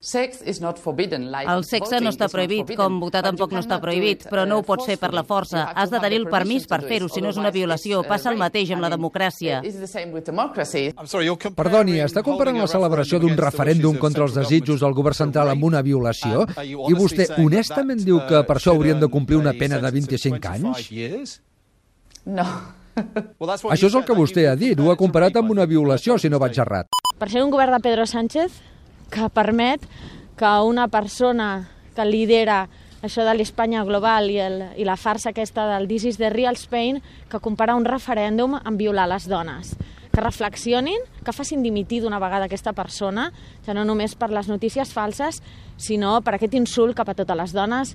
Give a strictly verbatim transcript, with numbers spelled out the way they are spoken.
El sexe no està prohibit, com votar tampoc no està prohibit, però no ho pots fer per la força. Has de tenir el permís per fer-ho, si no és una violació. Passa el mateix amb la democràcia. Perdoni, està comparant la celebració d'un referèndum contra els desitjos del govern central amb una violació? I vostè honestament diu que per això haurien de complir una pena de vint-i-cinc anys? No. Això és el que vostè ha dit, ho ha comparat amb una violació, si no vaig errat. Per ser un govern de Pedro Sánchez que permet que una persona que lidera això de l'Espanya global i, el, i la farsa aquesta del This is the real Spain, que compara un referèndum amb violar les dones. Que reflexionin, que facin dimitir d'una vegada aquesta persona, ja no només per les notícies falses, sinó per aquest insult cap a totes les dones